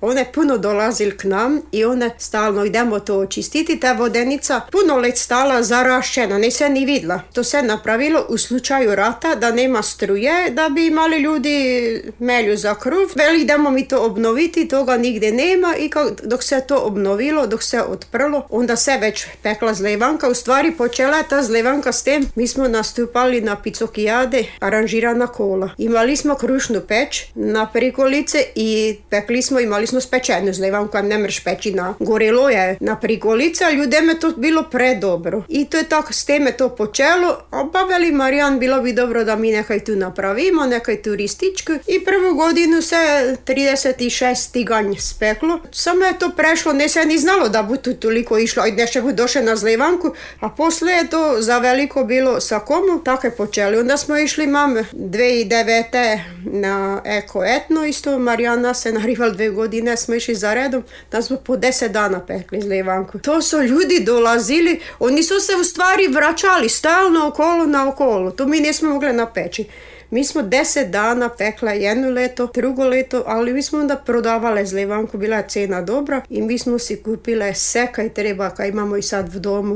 Ona je puno dolazil k nam i ona stalno idemo to očistiti. Ta vodenica puno let stala zarašćena, ne se ni vidla. To se napravilo u slučaju rata da nema struje, da bi imali ljudi melju za kruv. Veli idemo mi to obnoviti, toga nigdje nema i dok se to obnovilo, dok se otprlo, onda se već pekla zlevanka. U stvari počela je ta zlevanka s tem, mi smo nastupali na Picokijade, aranžirana kola. Imali smo krušnu peć na prikolice i pekli smo, imali smo spečenu zlevanku, ne mreš peći na gorelo je na prikolice, a ljudem je to bilo predobro. I to je tako, s teme to počelo, pa veli Marijan, bilo bi dobro da mi nekaj tu napravimo, nekaj turističku. I prvu godinu se 36 tiganj speklo. Samo je to prešlo, ne se ni znalo da bu tu toliko išlo, i neše bu došle na zlevanku, a posle je to za veliko bilo sa komu, tako je počeli. Onda smo išli, mam, 2009. na Eko Etno, isto Marijana se narival 2 godine, smo išli za redom, da smo po 10 dana pekli zlevanku. To su ljudi dolazili, oni su se u stvari vraćali stalno okolo na okolo, to mi nismo mogli napeći. Mi smo 10 dana pekla jedno leto, drugo leto, ali mi smo onda prodavale zlevanku, bila je cena dobra i mi smo si kupile sve kaj treba, kaj imamo i sad v domu.